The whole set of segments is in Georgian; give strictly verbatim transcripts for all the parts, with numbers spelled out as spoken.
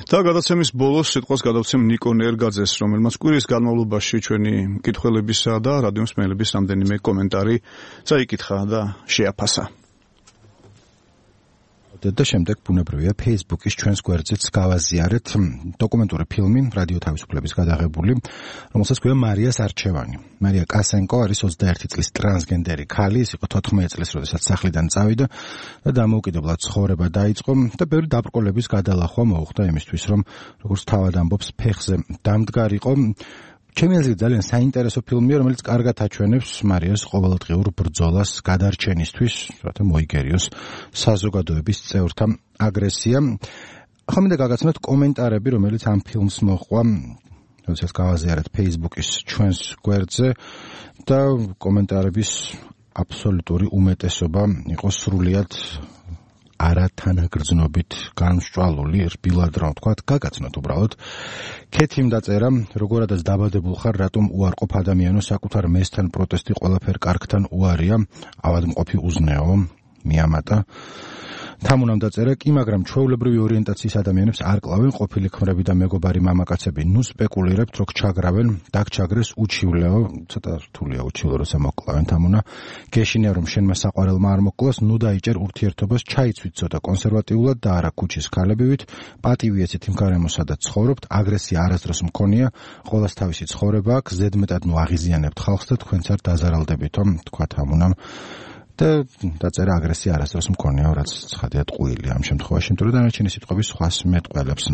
და გადაცემის ბოლოს სიტყვას გადავცემ ნიკო ნერგაძეს, რომელმაც კვირის განმავლობაში ჩვენი მკითხველებისა და რადიო მსმენელების რამდენიმე კომენტარი წაიკითხა და შეაფასა. და შემდეგ ბუნებრივია Facebook-ის ჩვენს გვერდზეც გავაზიარეთ დოკუმენტური ფილმი რადიო თავისუფლების გადაღებული, რომელსაც ქვია მარიას არჩევანი. მარია კასენკო არის ოცდაერთი წლის ტრანსგენდერი ქალი, ის იყო თოთხმეტი წლის, როდესაც სახლიდან წავიდა და დამოუკიდებლად ცხოვრება დაიწყო და ბევრი დაბრკოლების გადალახვა მოუხდა იმისთვის, რომ როგორც თავად ამბობს, ფეხზე დამდგარიყო. ჩემი აზრით ძალიან საინტერესო ფილმია, რომელიც კარგად აჩვენებს მარიას ყოველდღიურ ბრძოლას გადარჩენისთვის, რათა მოიგერიოს საზოგადოების წევრთა აგრესია. ახლა მინდა გაგაცნოთ კომენტარები, რომელიც ამ ფილმს მოჰყვა, როდესაც გავაზიარეთ Facebook-ის ჩვენს გვერდზე და კომენტარების აბსოლუტური უმეტესობა იყო სრულიად არათანაგრძნობით განსჭვალული, რბილად რომ ვთქვათ, გაგაცნოთ უბრალოდ. ქეთიმ დაწერა, როგორადაც დაბადებულ ხარ, რატომ უარყოფ ადამიანო, საკუთარ მესთან პროტესტი ყველაფერ კარგთან უარია, ავადმყოფი უზნეო, მიამატა. თამუნამ დაწერა, კი, მაგრამ ჩვეულებრივი ორიენტაციის ადამიანებს არ კლავენ ყოფილი ქმრები და მეგობარი მამაკაცები. ნუ სპეკულირებთ, რომ ჩაგრავენ, დაგჩაგრეს უჩივლეო, ცოტა რთულია უჩივლო, როცა მოკლავენ. თამუნა, გეშინია, რომ შენმა საყვარელმა არ მოკლას, ნუ დაიჭერ ურთიერთობას, ჩაიცვით ცოტა კონსერვატიულად და არა ქუჩის ქალებივით, პატივი ეცით იმ გარემოსა და ცხოვრობთ, აგრესია არასდროს მქონია, ყოველს თავისი ცხოვრება აქვს, ზედმეტად ნუ აღიზიანებთ ხალხს და თქვენც არ დაზარალდებითო, თქვა თამუნამ. და დაწერა აგრესია არასდროს მქონია, რაც ცხადია ტყუილი ამ შემთხვევაში, იმიტომ რომ დანარჩენი სიტყვების სხვას მეტყველებს.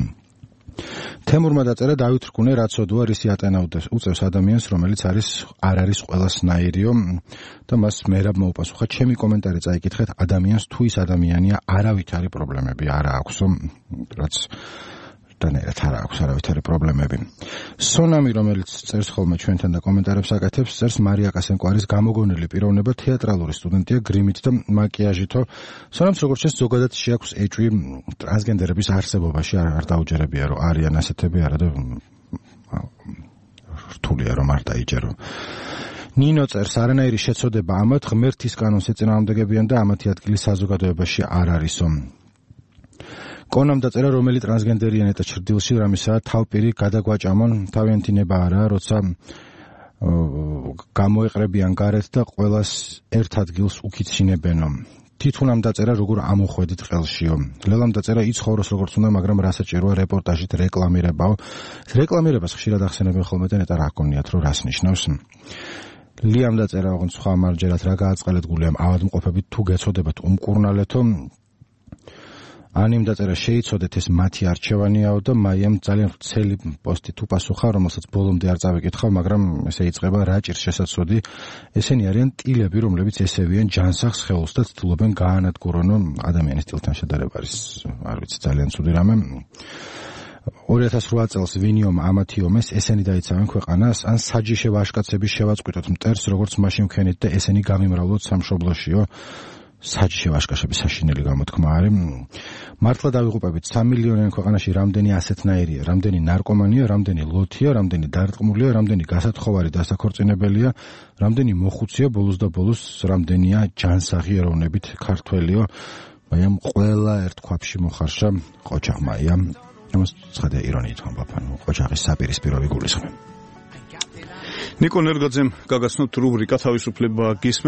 თემურმა დაწერა, დავით რკუნე რაც ოდვა რისი ატენაუდეს უწევს ადამიანს, რომელიც არის არ არის ყველასნაირიო და მას მერაბ მოუპასუხა, ჩემი კომენტარი წაიკითხეთ, ადამიანს თუ ის ადამიანია, არავითარი პრობლემები არ აქვს, რაც დანერეთ არ აქვს არავითარი პრობლემები. სონამი, რომელიც წერს ხოლმე ჩვენთან და კომენტარებს აკეთებს, წერს მარია კასენკო არის გამოგონილი პიროვნება, თეატრალური სტუდენტია გრიმით და მაკიაჟითო. სონამს როგორც ჩანს, ზოგადად შეაქვს ეჭვი ტრანსგენდერების არსებობაში, არ დაუჯერებია, რომ არიან ასეთები, არა და რთულია რომ არ დაიჯერო. ნინო წერს, არანაირი შეცოდება ამათ ღმერთის კანონს ეწინააღმდეგებიან და ამათი ადგილი საზოგადოებაში არ არისო. კონამ დაწერა, რომელი ტრანსგენდერია ნეტა ჩრდილში რამისაა თავპირი გადაგვაჭამონ, თავიანთი ნება არა, როცა გამოეყრებიან გარეთ და ყველას ერთ ადგილს უკიცინებენო. თითუნამ დაწერა, როგორ ამოხვედით ყელშიო. ლელამ დაწერა, იცხოვროს როგორც უნდა, მაგრამ რა საჭიროა რეპორტაჟით რეკლამირებაო. რეკლამირებას ხშირად ახსენებენ ხოლმე და ნეტა რა გქონიათ, რომ რას ნიშნავს. ლიამ დაწერა, ოღონდ სხვა მარჯერად რა გააწყალეთ გულიამ ავადმყოფებით თუ გეცოდებათ უმკურნალეთო. ანიმ დაწერა, შეიცოდეთ ეს მათი არჩევანიაო და მაიამ ძალიან ვრცელი პოსტით უპასუხა, რომელსაც ბოლომდე არ წავიკითხავ, მაგრამ ესე იწყება, რა ჭირს შესაძლოდი. ესენი არიან ტილები, რომლებიც ესევიან ჯანსაღ სხეულს და ცდილობენ გაანადგურონ ადამიანის ტილთან შედარება არის, არ ვიცი, ძალიან ცუდი რამე. ორი ათას რვა წელს ვინიომ ამათი ომეს ესენი დაიცავენ ქვეყანას, ან საჯიში ვაშკაცების შევაწყვიტოთ მტერს, როგორც მაშინ ვქენით და ესენი გამიმრავლოთ სამშობლოშიო. საჯიში ვაშკაცების საშინელი გამოთქმა არის. მართლა დავიღუპებით სამი მილიონიან ქვეყანაში რამდენი ასეთნაირია, რამდენი ნარკომანია, რამდენი ლოთია, რამდენი დარტყმულია, რამდენი გასათხოვარი დასაქორწინებელია, რამდენი მოხუცია ბოლოს და ბოლოს, რამდენია ჯანსაღი ეროვნებით ქართველიო. მაიამ ყველა ერთ ქვაბში მოხარშა ყოჩაღმა, აიამ ამას ცხადია ირონიით ვამბობ, ყოჩაღის საპირისპირო ვიგულისხმე. ნიკო ნერგაძემ გაგაცნოთ რუბრიკა თავისუფლება გისმენთ.